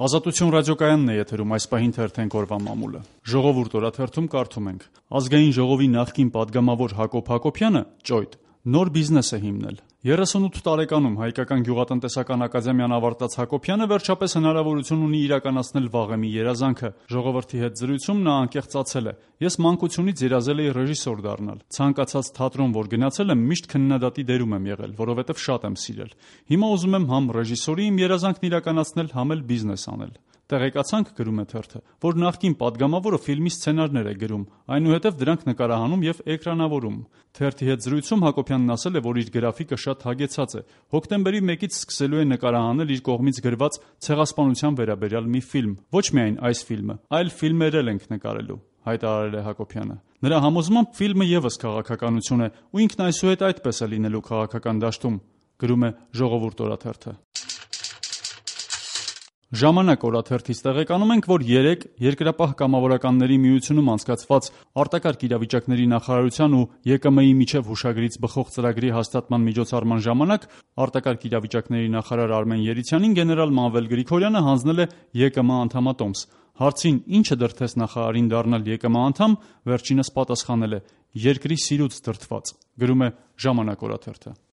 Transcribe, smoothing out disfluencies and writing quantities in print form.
Ազատություն ռադիոկայանն է եթերում, այս պահին թերթենք օրվա մամուլը։ Ժողովուրդ օրաթերթում կարդում ենք. Ազգային ժողովի նախկին պատգամավոր Հակոբ Հակոբյանը ճոյտ նոր բիզնես է հիմնել։ 38 տարեկանում Հայկական գյուղատնտեսական ակադեմիան ավարտած Հակոբյանը վերջապես հնարավորություն ունի իրականացնել վաղեմի երազանքը։ Ժողովրդի հետ զրույցում նա անկեղծացել է. «Ես մանկությունից երազել էի ռեժիսոր դառնալ։ Ցանկացած թատրոն, որ գնացել եմ, միշտ քննադատի դերում եմ եղել, որովհետև շատ եմ սիրել։ Հիմա ուզում եմ համ ռեժիսորի իմ երազանքն իրականացնել, համ էլ բիզնես անել»։ Տեղեկացանք, գրում է թերթը, որ նախկին պատգամավորը ֆիլմի սցենարներ է գրում, այնուհետև դրանք նկարահանում եւ էկրանավորում։ Թերթի հետ զրույցում Հակոբյանն ասել է, որ իր գրաֆիկը շատ հագեցած է։ Հոկտեմբերի 1-ից սկսելու է նկարահանել իր կողմից գրված ցեղասպանության վերաբերյալ մի ֆիլմ։ Ոչ միայն այս ֆիլմը, այլ ֆիլմեր էլ ենք նկարելու, հայտարարել է Հակոբյանը։ Նրա համոզմամբ ֆիլմը եւս քաղաքականություն է, ու ինքն այսուհետ այդպես է լինելու քաղաքական դաշտում, գրում է Ժողովուրդ օրաթերթը։ Ժամանակ օրաթերթից տեղեկանում ենք, որ 3 Երկրապահ կամավորականների միությունում անցկացված արտակարգ իրավիճակների նախարարության ու ԵԿՄ-ի միջև հուշագրից բխող ծրագրի հաստատման միջոցառման ժամանակ արտակարգ իրավիճակների նախարար Արմեն Երիցյանին գեներալ Մանվել Գրիգորյանը հանձնել է ԵԿՄ անդամատոմս։ Հարցին ինչը դրդեց նախարարին դառնալ ԵԿՄ անդամ, վերջինս պատասխանել է. «Երկրի սիրուց դրդված», գրում է Ժամանակ օրաթերթը։